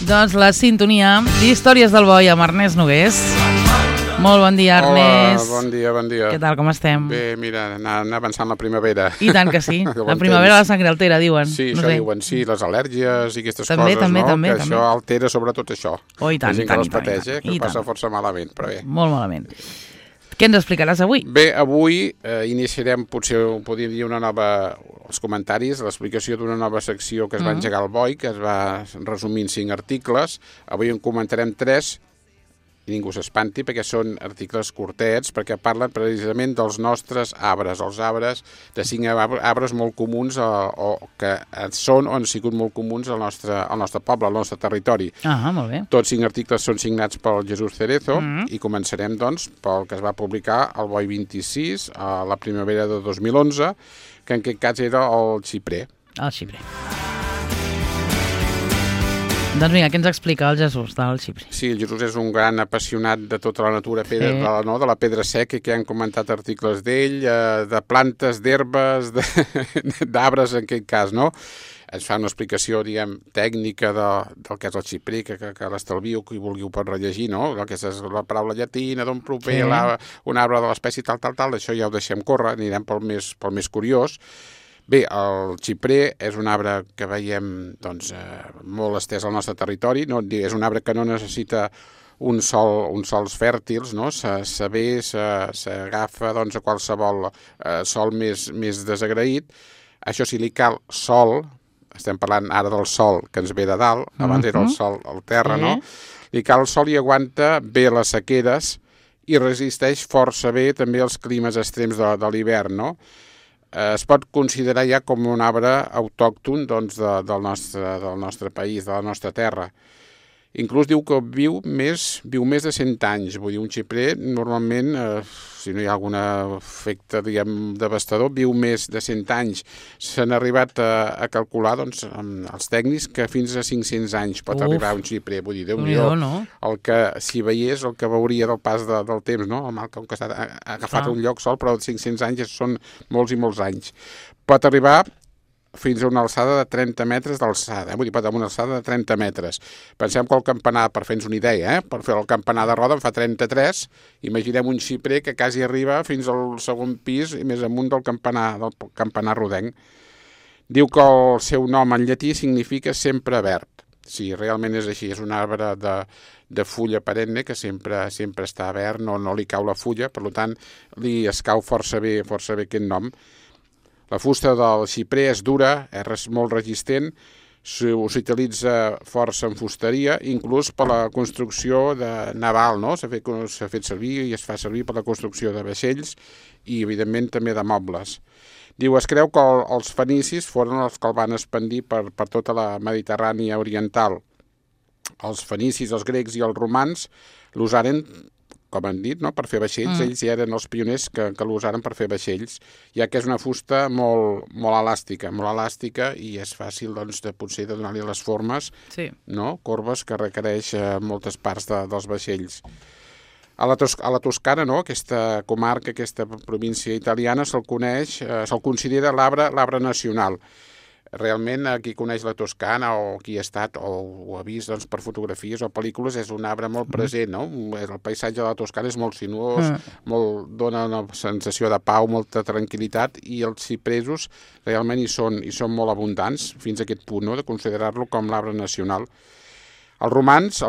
Doncs la sintonia d'Històries del Boi amb Ernest Nogués. Molt bon dia, Ernest. Hola, bon dia, bon dia. Què tal, com estem? Bé, mira, anar avançant la primavera. I tant que sí. La primavera a la sangre altera, diuen. Sí, no això sé. diuen, sí, les al·lèrgies i aquestes També, coses, també, no? també, Que també. això altera sobretot això. Oh, i tant, la gent i tant, que les pateix, i tant, que i passa tant. força malament, però bé. Molt malament. Què ens explicaràs avui? Bé, avui iniciarem, potser ho podríem dir, els comentaris, l'explicació d'una nova secció que es va engegar al Boi, que es va resumir en 5 articles. Avui en comentarem 3, i ningú s'espanti, perquè són articles curtets, perquè parlen precisament dels nostres arbres, els arbres de 5 arbres molt comuns, o que són o han sigut molt comuns al nostre poble, al nostre territori. Ah, molt bé. Tots 5 articles són signats pel Jesús Cerezo i començarem, doncs, pel que es va publicar al Boi 26, a la primavera de 2011, que en aquest cas era el xiprer. El xiprer. Doncs vinga, què ens explica el Jesús del xiprer? Sí, el Jesús és un gran apassionat de tota la natura, de la pedra seca, que han comentat articles d'ell, de plantes, d'herbes, d'arbres en aquest cas, no? Ens fa una explicació, diguem, tècnica del que és el xiprer, que l'estalvio, qui vulguiu pot rellegir, no? El que és la paraula llatina, d'on prové un arbre de l'espècie tal, això ja ho deixem córrer, anirem pel més curiós. Bé, el xiprer és un arbre que veiem doncs, molt estès al nostre territori, no? És un arbre que no necessita uns sols fèrtils, no? S'agafa doncs, a qualsevol sol més desagraït. Això sí, li cal sol, estem parlant ara del sol que ens ve de dalt, abans era el sol al terra, no? Li cal sol i aguanta bé les sequeres i resisteix força bé també els climes extrems de l'hivern, no? Es pot considerar ja com un arbre autòcton doncs, del nostre país, de la nostra terra. Inclús diu que viu més de 100 anys. Vull dir, un xiprer normalment, si no hi ha algun efecte, diguem, devastador, viu més de 100 anys. S'han arribat a calcular, doncs, els tècnics, que fins a 500 anys pot arribar un xiprer. Vull dir, Déu-n'hi-do, el que, si veiés, el que veuria del pas del temps, no? El mal que ha agafat un lloc sol, però 500 anys són molts i molts anys. Pot arribar fins a una alçada de 30 metres d'alçada, vull dir, pot haver una alçada de 30 metres. Pensem que el campanar, per fer-nos una idea, per fer el campanar de roda en fa 33, imaginem un xiprer que quasi arriba fins al segon pis i més amunt del campanar rodenc. Diu que el seu nom en llatí significa sempre verd. Sí, realment és així, és un arbre de fulla perenne que sempre està verd, no li cau la fulla, per tant, li escau força bé aquest nom. La fusta del xiprer és dura, és molt resistent, s'utilitza força en fusteria, inclús per la construcció naval, no? S'ha fet servir i es fa servir per la construcció de vaixells i, evidentment, també de mobles. Diu, es creu que els fenicis foren els que el van expandir per tota la Mediterrània oriental. Els fenicis, els grecs i els romans l'usaren, com han dit, no? Per fer vaixells. Ells ja eren els pioners que l'usaren per fer vaixells, ja que és una fusta molt elàstica i és fàcil doncs, potser de donar-li les formes, no? Corbes que requereix moltes parts dels vaixells. A la Toscana, no? Aquesta comarca, aquesta província italiana, se'l considera l'arbre nacional. Realment, qui coneix la Toscana o qui ha estat o ho ha vist doncs, per fotografies o pel·lícules, és un arbre molt present, no? El paisatge de la Toscana és molt sinuós, dona una sensació de pau, molta tranquil·litat, i els cipresos realment hi són molt abundants, fins a aquest punt, no? De considerar-lo com l'arbre nacional. Els romans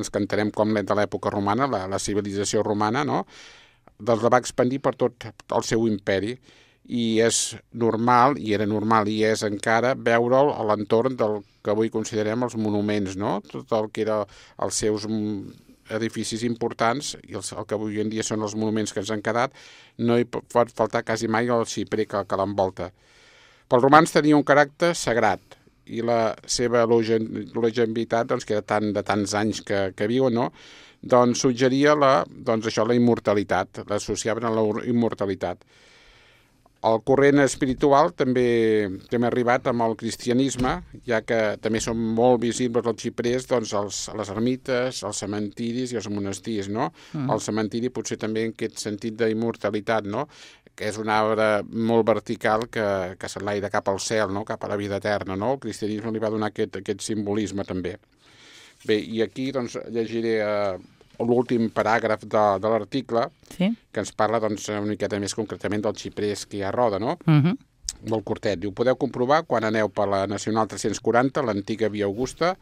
que entenem com de l'època romana, la civilització romana, no? Doncs la va expandir per tot el seu imperi, i és normal, i era normal i és encara, veure'l a l'entorn del que avui considerem els monuments, no? Tot el que era els seus edificis importants i el que avui en dia són els monuments que ens han quedat, no hi pot faltar quasi mai el xiprer que l'envolta. Pels romans tenia un caràcter sagrat, i la seva longevitat, doncs, que era de tants anys que viuen, no? Doncs suggeria la immortalitat, l'associaven a la immortalitat. El corrent espiritual també ha arribat amb el cristianisme, ja que també són molt visibles els xiprers doncs, a les ermites, als cementiris i als monestirs, no? El cementiri potser també en aquest sentit d'immortalitat, no? que és un arbre molt vertical que s'enlaira cap al cel, no? Cap a la vida eterna, no? El cristianisme li va donar aquest simbolisme també. Bé, i aquí doncs, llegiré l'últim paràgraf de l'article, Sí. que ens parla doncs, una miqueta més concretament del xiprers que hi ha a Roda, no? Molt curtet. Diu, podeu comprovar quan aneu per la Nacional 340, l'antiga Via Augusta,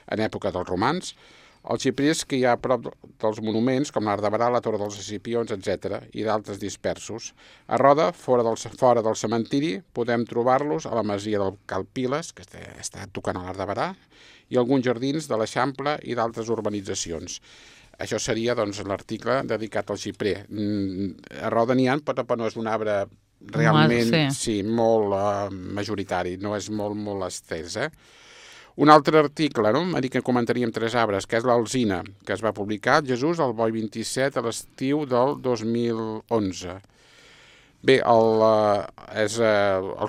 en època dels romans, els xiprers que hi ha a prop dels monuments, com l'Arc de Barà, la Torre dels Escipions, etc., i d'altres dispersos. A Roda, fora del cementiri, podem trobar-los a la masia del Cal Piles, que està tocant a l'Arc de Barà, i alguns jardins de l'Eixample i d'altres urbanitzacions. Això seria doncs, l'article dedicat al xiprer. A Roda n'hi ha, però no és un arbre realment molt majoritari, no és molt estès. Un altre article, no? M'ha dit que comentaríem 3 arbres, que és l'alzina, que es va publicar Jesús al Boi 27 a l'estiu del 2011. Bé, el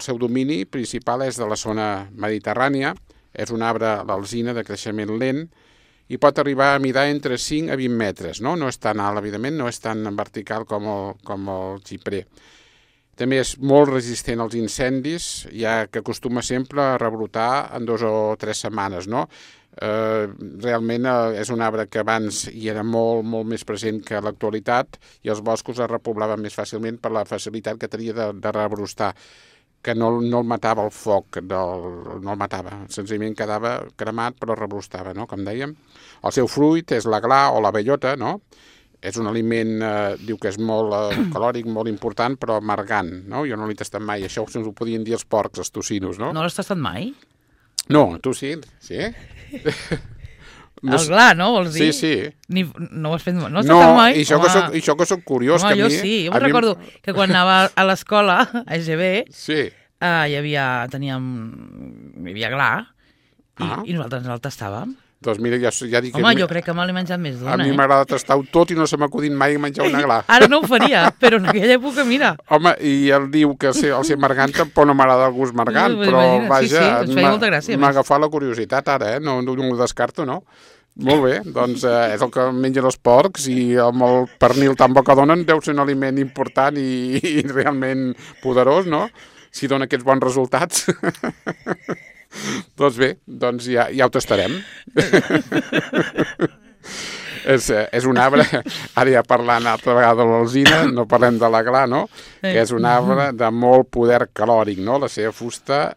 seu domini principal és de la zona mediterrània, és un arbre, l'alzina, de creixement lent, i pot arribar a midar entre 5 a 20 metres, no? No és tan alt, evidentment, no és tan vertical com el xiprer. També és molt resistent als incendis, ja que acostuma sempre a rebrotar en 2 o 3 setmanes, no? Realment és un arbre que abans hi era molt més present que a l'actualitat i els boscos es repoblaven més fàcilment per la facilitat que tenia de rebrostar, que no el matava el foc, no el matava, senzillament quedava cremat però rebrostava, no? Com dèiem. El seu fruit és la gla o la bellota, no? És un aliment, diu que és molt calòric, molt important, però amargant, no? Jo no l'he tastat mai, això se'ns ho podien dir els porcs, els tocinos, no? No l'has tastat mai? No, tu sí? Sí? El gla, no? Vols dir? Sí. No ho has fet mai? No has tastat mai? No, i això que soc curiós. Home, que a mi... jo sí. Jo recordo que quan anava a l'escola, a EGB, sí. Hi havia gla, i nosaltres el tastàvem. Doncs mira, ja dic... Home, jo crec que me l'he menjat més d'una, A mi m'agrada tastar-ho tot i no se m'acudit mai menjar una gla. Ara no ho faria, però en aquella època, mira. Home, i ell diu que el ser margant tampoc no m'agrada el gust margant, però vaja, ens feia molta gràcia. M'ha agafat la curiositat ara, no ho descarto, no? Molt bé, doncs és el que mengen els porcs i amb el pernil tan bo que donen deu ser un aliment important i realment poderós, no? Si dona aquests bons resultats. Doncs bé, doncs ja ho tastarem. És un arbre, ara ja parlant altra vegada de l'alzina, no parlem de la gla, no? Que és un arbre de molt poder calòric, no? La seva fusta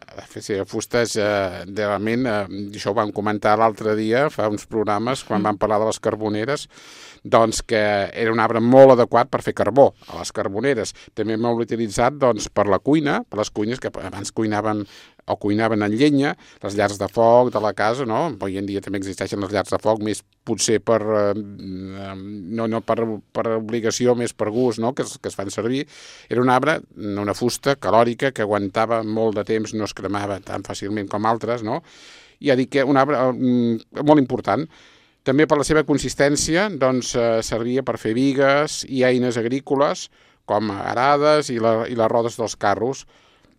és realment, això ho vam comentar l'altre dia, fa uns programes, quan vam parlar de les carboneres, doncs que era un arbre molt adequat per fer carbó a les carboneres. També m'ho utilitzat doncs, per la cuina, per les cuines que abans cuinaven en llenya, les llars de foc de la casa, no? Avui en dia també existeixen les llars de foc, més potser no per obligació, més per gust, no? que es fan servir. Era un arbre, una fusta calòrica que aguantava molt de temps, no es cremava tan fàcilment com altres, no? I ja dic que un arbre molt important. També per la seva consistència doncs, servia per fer bigues i eines agrícoles, com arades i les rodes dels carros.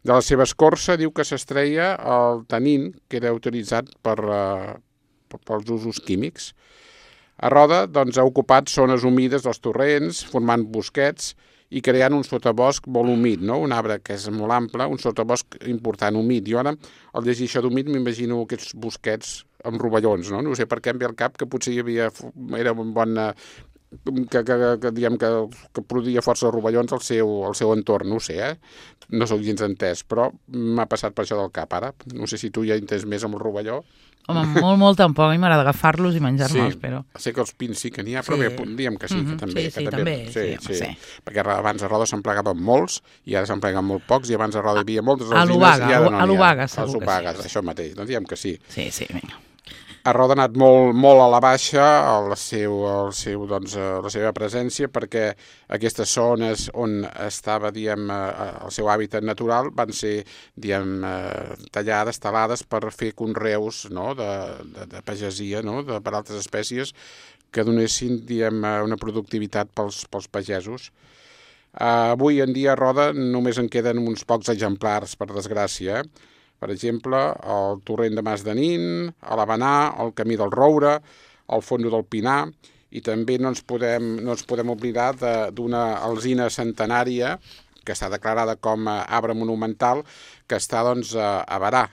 De la seva escorça diu que s'extreia el tanin, que era utilitzat pels usos químics. A Roda doncs, ha ocupat zones humides dels torrents, formant bosquets i creant un sotabosc molt humit, no? Un arbre que és molt ample, un sotabosc important, humit. Jo ara, al llegir això d'humit, m'imagino aquests bosquets amb rovellons, no? No sé per què em ve al cap que potser era un bon... que produïa força rovellons al seu entorn, no ho sé, no sóc gens entès, però m'ha passat per això del cap ara. No sé si tu ja entès més amb el rovelló. Home, molt tampoc, a mi m'agrada agafar-los i menjar-me'ls, però... Sé que els pins sí que n'hi ha, però bé, diguem que sí, que també. Sí. Perquè abans a Roda se'n plegaven molts, i ara se'n pleguen molt pocs, i abans a Roda hi havia moltes alzines, i ara no n'hi ha. A l'Obaga, segur que sí. Això mateix, doncs diguem que sí. Sí, vinga. A Roda ha anat molt a la baixa la seva presència, perquè aquestes zones on estava el seu hàbitat natural van ser tallades, talades per fer conreus, no? de pagesia, no? Per altres espècies que donessin una productivitat pels pagesos. Avui en dia a Roda només en queden uns pocs exemplars, per desgràcia. Per exemple, el torrent de Mas de Nin, a l'Havanà, el camí del Roure, el Fondo del Pinar, i també no ens podem oblidar d'una alzina centenària que està declarada com a arbre monumental, que està doncs, a Berà,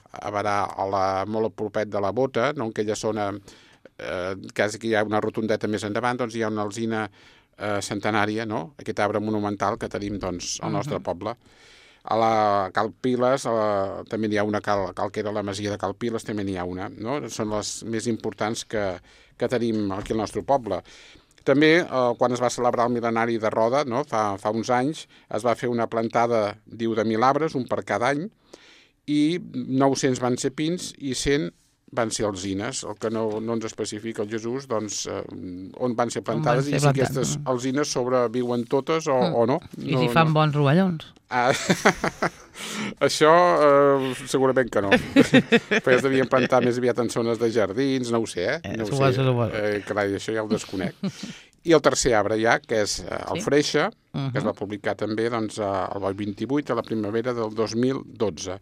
molt a propet de la Bota, no? En aquella zona, quasi que hi ha una rotondeta més endavant, doncs hi ha una alzina centenària, no? Aquest arbre monumental que tenim doncs, al nostre poble. A la Cal Piles també n'hi ha una, que era la masia de Cal Piles, també n'hi ha una, no? Són les més importants que tenim aquí al nostre poble. També, quan es va celebrar el mil·lenari de Roda, no? fa uns anys, es va fer una plantada, diu, de 1.000 arbres, un per cada any, i 900 van ser pins i 100 van ser alzines. El que no ens especifica el Jesús, doncs, on van ser plantades i si aquestes alzines sobreviuen totes o no. I si fan bons rovellons. Això segurament que no. Perquè es devien plantar més aviat en zones de jardins, no ho sé, no ho sé. Carai, això ja ho desconec. I el tercer arbre ja, que és el freixe, que es va publicar també doncs, al Boi 28, a la primavera del 2012.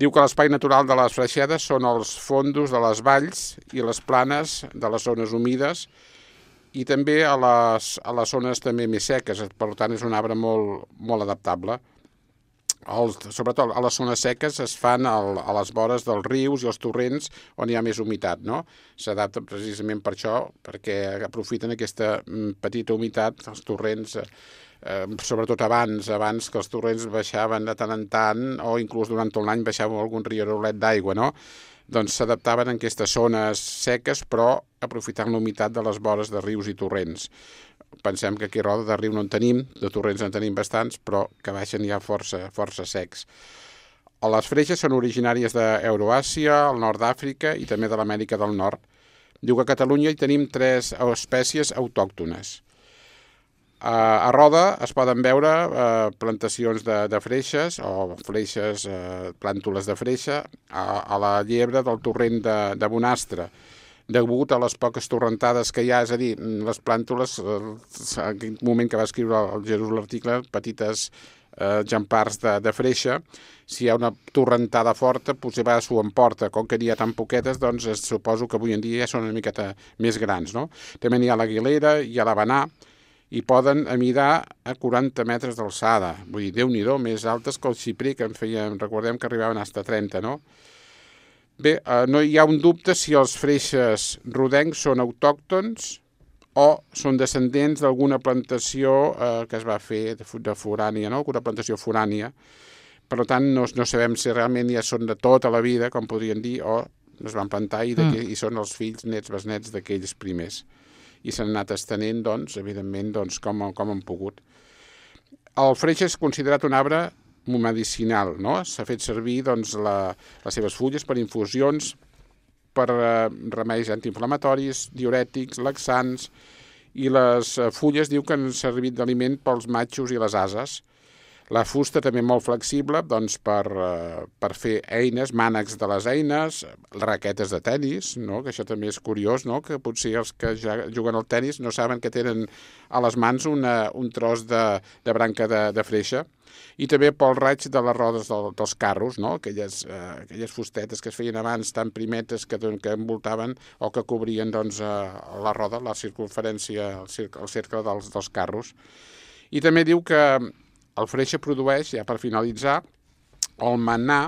Diu que l'espai natural de les freixedes són els fondos de les valls i les planes de les zones humides i també a les zones també més seques. Per tant, és un arbre molt adaptable. Sobretot a les zones seques es fan a les vores dels rius i els torrents on hi ha més humitat, no? S'adapta precisament per això, perquè aprofiten aquesta petita humitat, els torrents, sobretot abans que els torrents baixaven de tant en tant, o inclús durant tot l'any baixava algun rierolet d'aigua, no? Doncs s'adaptaven en aquestes zones seques, però aprofitant la humitat de les vores de rius i torrents. Pensem que aquí a Roda de riu no en tenim, de torrents en tenim bastants, però que baixen ja força secs. Les freixes són originàries d'Euroàsia, el nord d'Àfrica i també de l'Amèrica del Nord. Diu que a Catalunya hi tenim 3 espècies autòctones. A Roda es poden veure plantacions de freixes o freixes, plàntules de freixa a la llebre del torrent de Bonastre. Degut a les poques torrentades que hi ha, és a dir, les plàntules, en aquell moment que va escriure el Jesús l'article, petites exemplars de freixa, si hi ha una torrentada forta, potser s'ho emporta. Com que n'hi ha tan poquetes, doncs suposo que avui en dia ja són una miqueta més grans, no? També n'hi ha l'Aguilera, hi ha l'Havanà, i poden amidar a 40 metres d'alçada. Vull dir, Déu-n'hi-do, més altes que el xiprer, que recordem que arribaven fins a 30, no? Bé, no hi ha un dubte si els freixes rodencs són autòctons o són descendents d'alguna plantació que es va fer de forània, no? Alguna plantació forània. Per tant, no sabem si realment ja són de tota la vida, com podrien dir, o es van plantar i són els fills, nets, besnets d'aquells primers. I s'han anat estenent, doncs, evidentment, com han pogut. El freixe és considerat un arbre medicinal, no? S'ha fet servir doncs, les seves fulles per infusions, per remeis antiinflamatoris, diurètics, laxants, i les fulles diu que han servit d'aliment pels matxos i les ases. La fusta també molt flexible doncs, per fer eines, mànecs de les eines, raquetes de tennis, no? Que això també és curiós, no? Que potser els que ja juguen al tennis no saben que tenen a les mans un tros de branca de freixa. I també pel raig de les rodes dels carros, no? Aquelles fustetes que es feien abans tan primetes que envoltaven o que cobrien doncs, la roda, la circunferència, el cercle dels carros. I també diu que el freixe produeix, ja per finalitzar, el manà,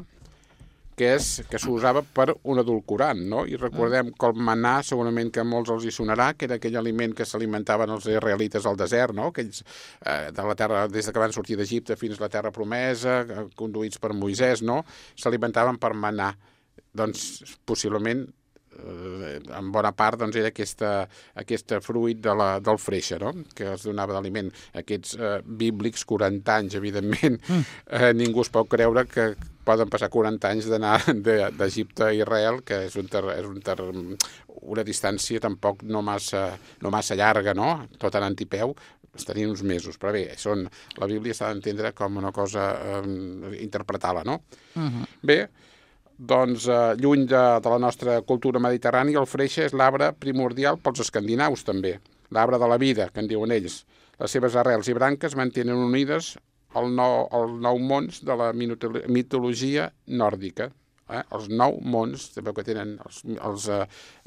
que s'usava per un edulcorant, no? I recordem que el manà, segurament que a molts els hi sonarà, que era aquell aliment que s'alimentaven els israelites al desert, no? Aquells de la terra, des que van sortir d'Egipte fins a la terra promesa, conduïts per Moisès, no? S'alimentaven per manà. Doncs, possiblement, en bona part doncs, era aquest fruit del freixe, no? Que es donava d'aliment. Aquests bíblics 40 anys, evidentment, ningú es pot creure que poden passar 40 anys d'anar d'Egipte a Israel, que és una distància tampoc no massa llarga, no? Tot anant i peu, es tenien uns mesos, però bé, la Bíblia s'ha d'entendre com una cosa interpretar-la, no? Bé, doncs, lluny de la nostra cultura mediterrània, el freixe és l'arbre primordial pels escandinaus, també. L'arbre de la vida, que en diuen ells. Les seves arrels i branques mantenen unides els 9 mons de la mitologia nòrdica. Els 9 mons, sabeu que tenen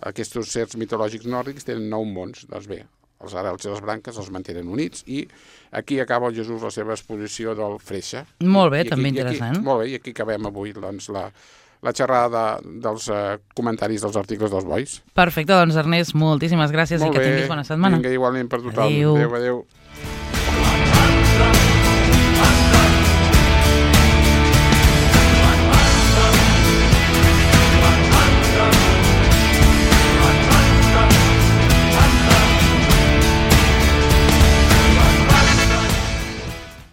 aquests certs mitològics nòrdics, tenen 9 mons. Doncs bé, els arrels i les branques els mantenen units, i aquí acaba el Jesús la seva exposició del freixe. Molt bé, també interessant. Molt bé, i aquí acabem avui doncs, la xerrada dels comentaris dels articles dels bois. Perfecte, doncs Ernest, moltíssimes gràcies i que tinguis bona setmana. Vinga, igualment per tothom. Adéu. Adéu.